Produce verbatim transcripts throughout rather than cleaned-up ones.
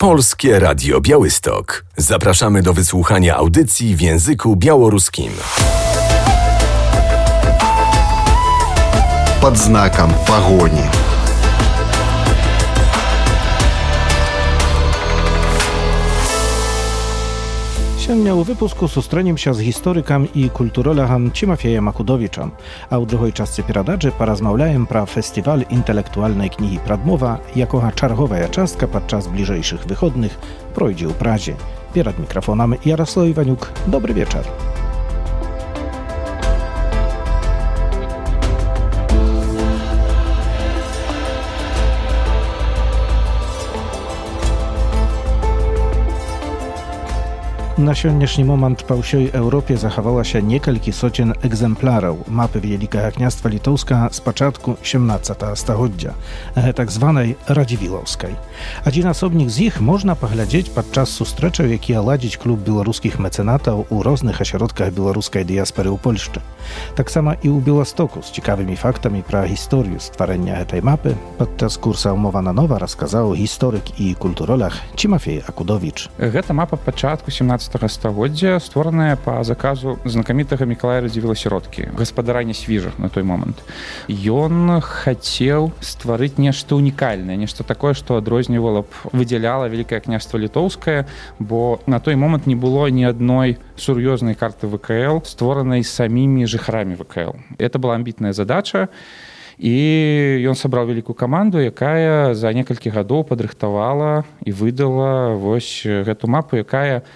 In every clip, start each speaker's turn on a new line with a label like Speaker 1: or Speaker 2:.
Speaker 1: Polskie Radio Białystok. Zapraszamy do wysłuchania audycji w języku białoruskim.
Speaker 2: Под знаком погони.
Speaker 3: Сёння ў выпуску сустрэнемся з гісторыкам і культуролагам Цімафеем Акудовічам, а ў другой частцы перадачы паразмаўляем пра фестываль інтэлектуальнай кнігі «Прадмова», якога чарговая частка падчас бліжэйшых выходных пройдзе ў Празе. Перад мікрафонам Ярослав Іванюк. Добры вечар. Na сённяшні момант па ўсёй Еўропе захавалася некалькі соцень экземпляраў мапы Вялікага княства Літоўска з пачатку сямнаццатага стагоддзя, гэтак званай радзівілаўскай. Адзін асобнік з іх можна паглядзець падчас сустрэчаў, якія ладзіць клуб беларускіх мэцэнатаў у розных асяродках беларускай дыяспары ў Польшчы. Таксама і ў Беластоку з цікавымі фактамі пра гісторыю стварэння гэтай мапы падчас курса «Умова на нова» расказаў гісторык і культуролаг Цімафей Акудовіч.
Speaker 4: Гэта мапа пачатку сямнаццатага стагоддзя, створаная па заказу знакамітага Мікалая Радзівіла-сіроткі, гаспадара Нясвіжа на той момант. Ён хацеў стварыць нешта унікальнае, нешта такое, што адрознівала б, выдзяляла Вялікае княства Літоўскае, бо на той момант не было ні адной сур'ёзнай карты ВКЛ, створанай самімі жыхарамі ВКЛ. Это была амбітная задача, і ён сабраў вялікую каманду, якая за некалькі гадоў падрыхтавала і выдала вось гэту мапу, якая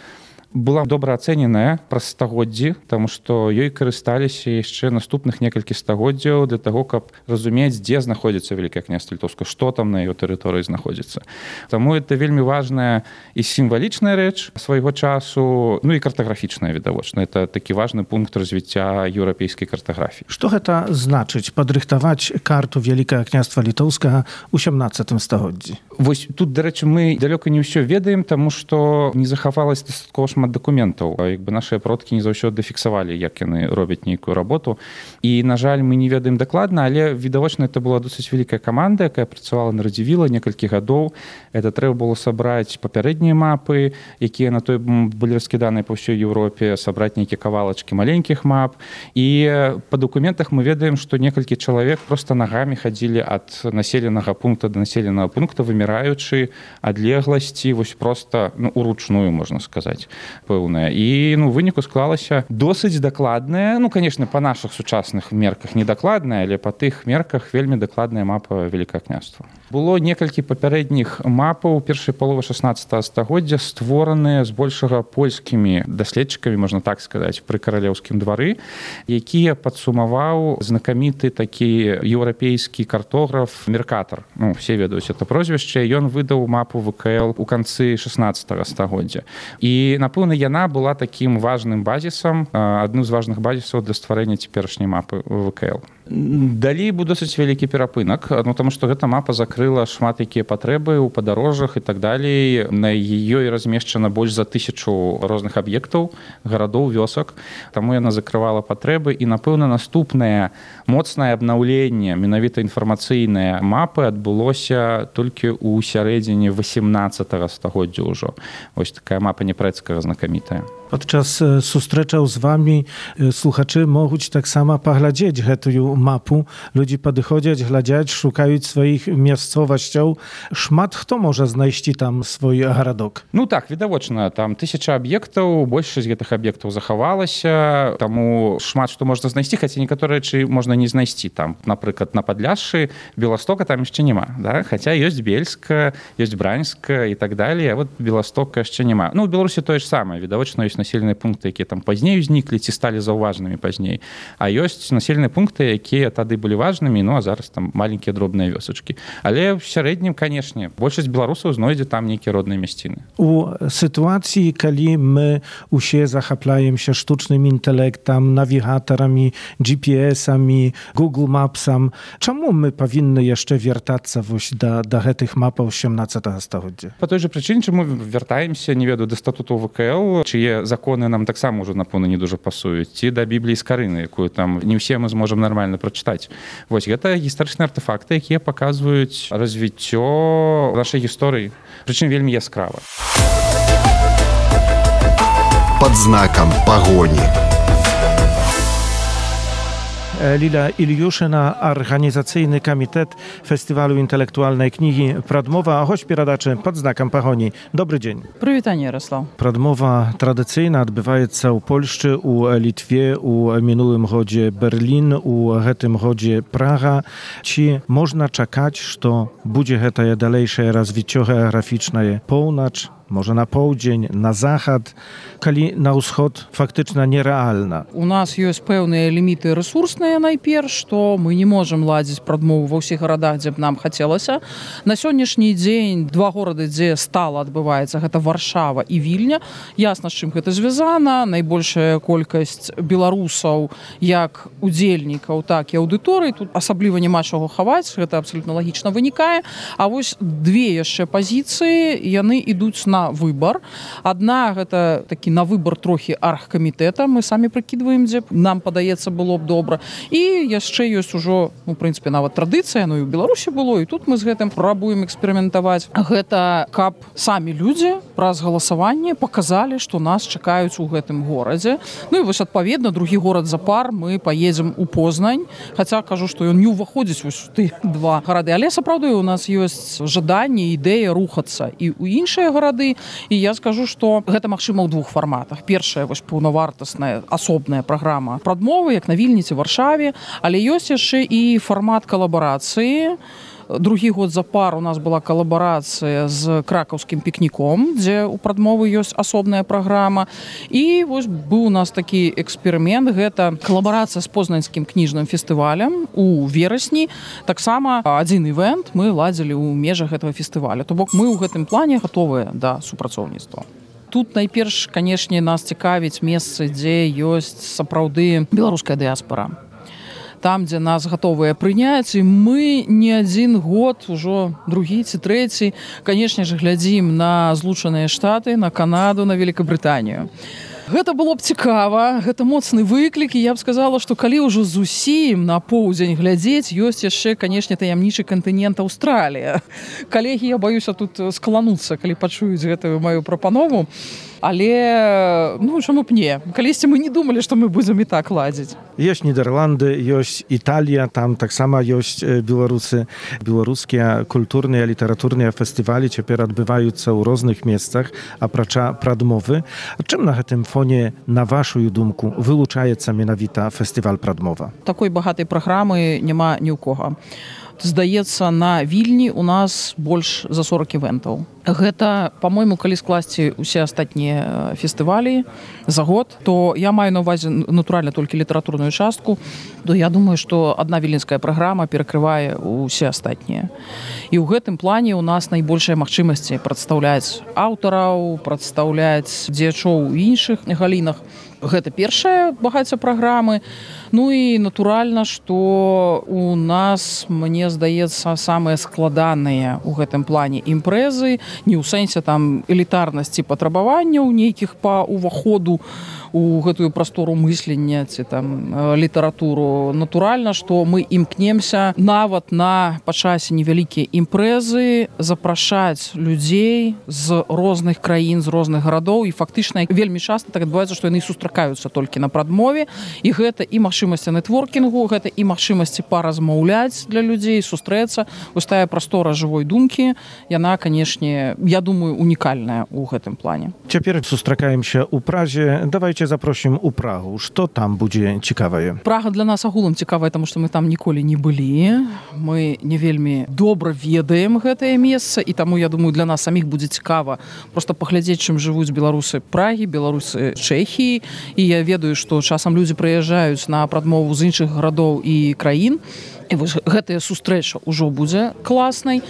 Speaker 4: была добра ацэненая праз стагоддзі, таму што ёй карысталіся яшчэ наступных некалькі стагоддзяў для таго, каб разумець, дзе знаходзіцца Вялікае княства Літоўскае, што там на яго тэрыторыі знаходзіцца. Таму это вельмі важная і сімвалічная рэч свайго часу, ну і картаграфічная, відавочна. Это такі важны пункт развіцця еўрапейскай картаграфіі.
Speaker 3: Што гэта значыць падрыхтаваць карту Вялікага княства Літоўскага ў сямнаццатым стагоддзі?
Speaker 4: Вось тут, дарэчы, мы далёка не ўсё ведаем, таму што не захавалася дастаткова шмат дакументаў. Як бы нашыя продкі не заўсёды фіксавалі, як яны робяць нейкую работу. І, на жаль, мы не ведаем дакладна, але, відавочна, это была досыць вялікая каманда, якая працавала на Радзівіла некалькі гадоў. Это трэба было сабраць папярэднія мапы, якія на той былі раскіданыя па ўсёй Еўропе, сабраць нейкія кавалачкі маленькіх мап. І па дакументах мы ведаем, што некалькі чалавек проста нагамі хадзілі ад населенага пункта да населенага пункта, выміраючы адлегласці, вось проста, ну, уручную, можна сказаць, пэўная. І, ну, выніку склалася досыць дакладная, ну, конечно, па нашых сучасных мерках недакладная, але па тых мерках вельмі дакладная мапа Вялікага княства. Было некалькі папярэдніх мапаў першай паловы шаснаццатага стагоддзя, створаныя збольшага польскімі даследчыкамі, можна так сказаць, пры каралеўскім двары, якія падсумаваў знакаміты такі еўрапейскі картограф Меркатар. Ну, все ведаюць это прозвішча. Ён выдаў мапу ВКЛ у канцы шаснаццатага стагоддзя. І, напэўна, яна была такім важным базісам, адным з важных базісаў для стварэння цяперашняй мапы ВКЛ. Далей быў досыць вялікі перапынак, ну, таму што гэта мапа закрыла шмат якія патрэбы ў падарожжах і так далей. На ёй размешчана больш за тысячу розных аб'ектаў, гарадоў, вёсак. Таму яна закрывала патрэбы, і, напэўна, наступнае моцнае абнаўленне, менавіта інфармацыйнае мапы адбылося толькі ў сярэдзіне васемнаццатага стагоддзя ўжо. Вось такая мапа Непрэцкага знакамітая.
Speaker 3: Падчас сустрэчаў з вамі слухачы могуць таксама паглядзець гэтую мапу. Людзі падыходзяць, глядзяць, шукаюць сваіх мясцовасцяў. Шмат хто можа знайсці там свой гарадок?
Speaker 4: Ну так, відавочна, там тысяча аб'ектаў, большасць гэтых аб'ектаў захавалася, таму шмат што можна знайсці, хаця некаторыя рэчы можна не знайсці. Там, напрыклад, на Падляшшы Беластока там яшчэ няма, да? Хаця ёсць Бельска, ёсць Браньска і так далей, а вот Беластока яшчэ няма. Ну, у Беларусі тое ж самае, відавочна, ёсць населеныя пункты, якія там пазней узніклі ці сталі заўважнымі пазней. А ёсць населеныя пункты, якія тады былі важнымі, ну а зараз там маленькія дробныя вёсачкі. Але в сярэднім, канешне, большасць беларусаў знойдзе там нейкія родныя мясціны.
Speaker 3: У сітуацыі, калі мы усе захапляемся штучным інтэлектам, навігатарамі, джі пі эсамі, Google Mapsам, чаму мы павінны яшчэ вяртацца вось да, да гэтых мапаў сямнаццатага стагоддзя?
Speaker 4: Па той жа прычыне, чаму вяртаемся, не ведаю, да статуту ВКЛ, чые законы нам таксама ўжо, напэўна, не дужа пасуюць, ці да Бібліі з Карыны, якую там не ўсе мы зможам нармальна прачытаць. Вось, гэта гістарычныя артэфакты, якія паказваюць развіццё нашай гісторыі. прычым вельмі яскрава.
Speaker 2: Под знаком погони.
Speaker 3: Lila Iliuszyna, organizacyjny komitet Festiwalu Intelektualnej Kniги Pradmowa, choć передачи pod znakiem pogoni. Dobry dzień.
Speaker 5: Привітання, Ярослав.
Speaker 3: Pradmowa tradycyjna odbywa się u Polsce, u Litwie, u minulym godzie Berlin, u tym godzie Praga. Czy można czekać, że będzie to dalejsze rozwicie geograficzne połnoc, może na południe, na zachód, kali na wschód faktycznie nierealna.
Speaker 5: У нас ёсць пэўныя ліміты рэсурсныя найперш, што мы не можам ладзіць прадмову ва ўсіх гарадах, дзе б нам хацелася. На сённяшні дзень два горады, дзе стала адбываецца, гэта Варшава і Вільня. Ясна, з чым гэта звязана. Найбольшая колькасць беларусаў як удзельнікаў, так і аўдыторый. Тут асабліва няма чаго хаваць, гэта абсалютна лагічна вынікае. А вось две яшчэ пазіцыі, яны ідуць на выбар. Адна гэта такі на выбар трохі аргкамітэта. Мы самі прыкідваем, дзе нам падаецца было б добра. І яшчэ ёсць ужо, ну, в прынцыпе, нават традыцыя, ну і ў Беларусі было, і тут мы з гэтым пробуем эксперыментаваць. Гэта каб самі людзі праз галасаванне паказалі, што нас чакаюць у гэтым горадзе. Ну і вось адпаведна другі горад запар мы паедзем у Познань. Хаця кажу, што ён не ўваходзіць вось у тыя два гарады, але сапраўды у нас ёсць жаданне, ідэя рухацца і ў іншыя гарады. І я скажу, што гэта магчыма ў двух фарматах. Першая вось паўнавартасная асобная праграма прадмовы, як на Вільні ці Варшаве, але ёсць яшчэ і фармат калабарацыі. Другі год запар у нас была калабарацыя з кракаўскім пікніком, дзе ў прадмовы ёсць асобная праграма. І вось быў у нас такі эксперымент, гэта калабарацыя з познаньскім кніжным фестывалем у верасні. Таксама адзін івент мы ладзілі ў межах гэтага фестываля. То бок мы ў гэтым плане гатовыя да супрацоўніцтва. Тут найперш, канешне, нас цікавіць месцы, дзе ёсць сапраўды беларуская дыяспара. Там, дзе нас гатовыя прыняць, і мы не адзін год, ужо другі ці трэці, канешне ж, глядзім на Злучаныя Штаты, на Канаду, на Великабрытанію. Гэта было б цікава, гэта моцны выклік, і я б сказала, што калі ўжо зусім на поўдзень глядзець, ёсць яшчэ, канешне, таямнічы кантынент Аўстралія. Калегі, я баюся тут скалануцца, калі пачуюць гэтую маю прапанову. Але, ну, чаму б не? Калісьці мы не думалі, што мы будзем і так ладзіць.
Speaker 3: Ёсць Нідерланды, ёсць Італія, там таксама ёсць беларусы. Беларускія культурныя, літаратурныя фестывалі цяпер адбываюцца ў розных месцах, апрача прадмовы. Чым на гэтым фоне, на вашую думку, вылучаецца менавіта фестываль прадмова?
Speaker 5: Такой багатай праграмы няма ні ў кога. Здаецца, на Вільні у нас больш за сорок івентаў. Гэта, па-мойму, калі скласці ўсе астатнія фестывалі за год, то я маю на ўвазе натуральна толькі літаратурную частку, то я думаю, што адна віленская праграма перакрывае ўсе астатнія. І ў гэтым плане у нас найбольшыя магчымасці прадстаўляць аўтараў, прадстаўляць дзеячоў у іншых галінах. Гэта першая багацця праграмы. Ну і натуральна, што у нас, мне здаецца, самыя складаныя ў гэтым плане імпрэзы, не ў сэнсе там элітарнасці патрабаванняў нейкіх па ўваходу у гэтую прастору мыслення ці там літаратуру. Натуральна, што мы імкнемся нават на па часе невялікія імпрэзы запрашаць людзей з розных краін, з розных гарадоў, і фактычна вельмі часта так адбываецца, што яны сустракаюцца толькі на прадмове, і гэта і магчымасці нетворкінгу, гэта і магчымасці паразмаўляць для людзей, сустрэцца. Вось тая прастора жывой думкі, яна, канешне, я думаю, унікальная ў гэтым плане.
Speaker 3: Цяпер сустракаемся ў Празе. Давайте запросім у Прагу. Што там будзе цікавае?
Speaker 5: Прага для нас агулам цікавая, таму што мы там ніколі не былі. Мы не вельмі добра ведаем гэтае месца, і таму, я думаю, для нас саміх будзе цікава проста паглядзець, чым жывуць беларусы Прагі, беларусы Чэхіі. І я ведаю, што часам людзі прыязджаюць на прадмову з іншых гарадоў і краін. І вось гэтая сустрэча ўжо будзе класнай.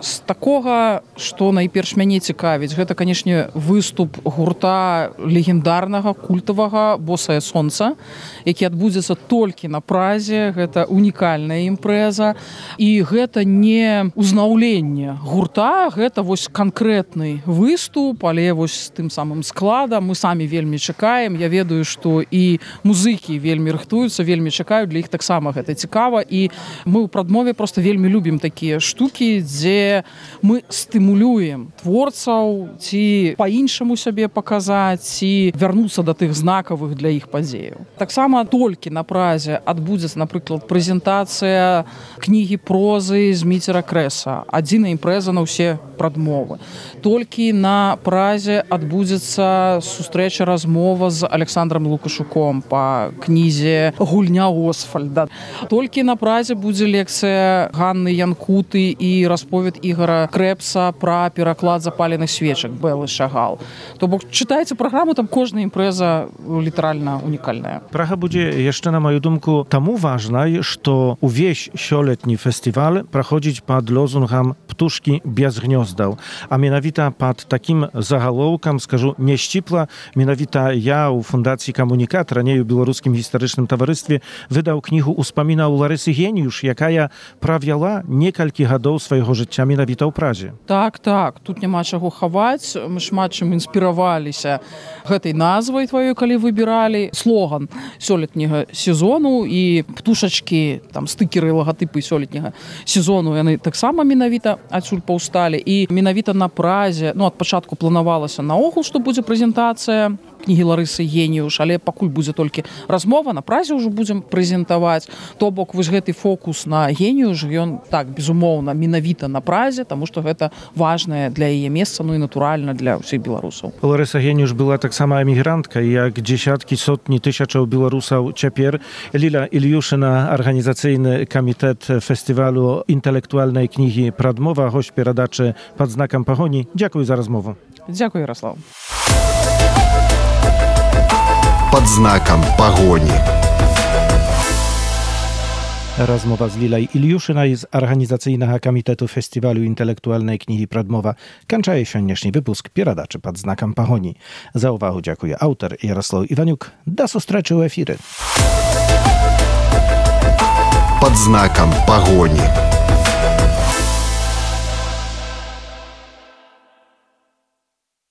Speaker 5: З такога, што найперш мяне цікавіць, гэта, канешне, выступ гурта легендарнага, культавага «Босае сонца», які адбудзецца толькі на Празе. Гэта унікальная імпрэза. І гэта не ўзнаўленне гурта, гэта вось канкрэтны выступ, але вось з тым самым складам. Мы самі вельмі чакаем. Я ведаю, што і музыкі вельмі рыхтуюцца, вельмі чакаюць. Для іх таксама гэта цікава. І Мы ў прадмове просто вельмі любім такія штукі, дзе мы стымулюем творцаў ці па-іншаму сябе паказаць, ці вярнуцца да тых знакавых для іх падзеяў. Таксама толькі на празе адбудзецца, напрыклад, прэзентацыя кнігі прозы Зміцера Крэса, адзіная імпрэза на ўсе прадмовы. Толькі на празе адбудзецца сустрэча, размова з Александром Лукашуком па кнізе «Гульня Освальда». Толькі на празе будзе лекцыя Ганны Янкуты і расповед Ігора Крэпса пра пераклад запаленых свечак Бэлы Шагал. То бок чытайце праграму, там кожная імпрэза літаральна унікальная.
Speaker 3: Прага будзе яшчэ, на маю думку, таму важнай, што увесь сёлетні фестываль праходзіць пад лозунгам «Птушкі без гнёздаў», а менавіта пад такім загалоўкам, скажу, няшчіпла, менавіта я ў Фундацыі «Камунікат», раней у Беларускім гістарычным таварыстве, выдаў кнігу «Успамінаў Ларысы Геніюш», якая правяла некалькі гадоў свайго жыцця менавіта ў празе.
Speaker 5: Так, так, тут няма чаго хаваць. Мы шмат чым інспіраваліся гэтай назвай тваёй, калі выбіралі слоган сёлетняга сезону, і птушачкі, там стыкеры, лагатыпы сёлетняга сезону, яны таксама менавіта адсюль паўсталі. І менавіта на празе, ну, ад пачатку планавалася наогул, што будзе прэзентацыя кнігі Ларысы Геніюш, але пакуль будзе толькі размова, на празе ўжо будзем прэзентаваць. То бок вось гэты фокус на Геніюш, ён так, безумоўна, менавіта на празе, таму што гэта важнае для яе месца, ну і натуральна для ўсіх беларусаў.
Speaker 3: Ларыса Геніюш была таксама эмігрантка, як дзесяткі, сотні тысячаў беларусаў цяпер. Ліля Ільюшына, арганізацыйны камітэт фестывалю інтэлектуальнай кнігі «Прадмова», госць перадачы «Пад знакам пагоні». Дзякуй за размову.
Speaker 5: Дзякуй, Ярослав.
Speaker 2: Под знаком погони.
Speaker 3: Размова z Lilej Iliuszynaj z Organizacyjnego Komitetu Festiwalu Intelektualnej Kniги Pradmowa kończy dzisiejszy wypusk Pieradaczy pod znakiem pogoni. Za uwagę dziękuję autor Jarosław Iwaniuk. Do zobaczenia w efirze.
Speaker 2: Под знаком погони.